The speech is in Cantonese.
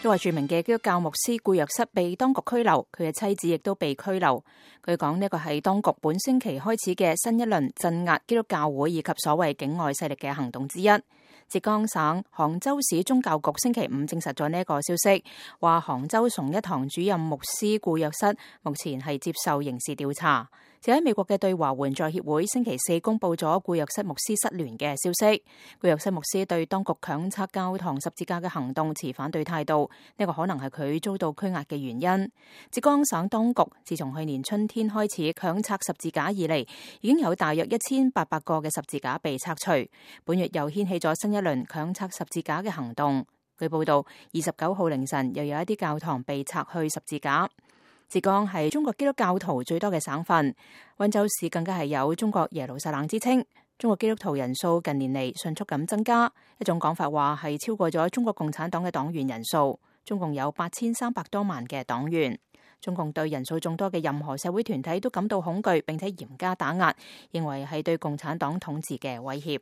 一位著名嘅基督教牧師顧若瑟被當局拘留，佢嘅妻子亦都被拘留。據講呢個係當局本星期開始嘅新一輪鎮壓基督教會以及所謂境外勢力嘅行動之一。浙江省杭州市宗教局星期五證實咗呢一個消息，話杭州崇一堂主任牧師顧若瑟目前係接受刑事調查。就喺美國嘅對華援助協會星期四公布咗顧若瑟牧師失聯嘅消息。顧若瑟牧師對當局強拆教堂十字架嘅行動持反對態度，呢個可能係佢遭到拘押嘅原因。浙江省當局自從去年春天開始強拆十字架以嚟，已經有大約1800個嘅十字架被拆除。本月又掀起咗新一輪強拆十字架嘅行動。據報道，29號凌晨又有一啲教堂被拆去十字架。浙江係中國基督教徒最多嘅省份，溫州市更加係有中國耶路撒冷之稱。中國基督徒人數近年嚟迅速咁增加，一種講法話係超過咗中國共產黨嘅黨員人數，中共有8300多萬嘅黨員。中共對人數眾多嘅任何社會團體都感到恐懼，並且嚴加打壓，認為係對共產黨統治嘅威脅。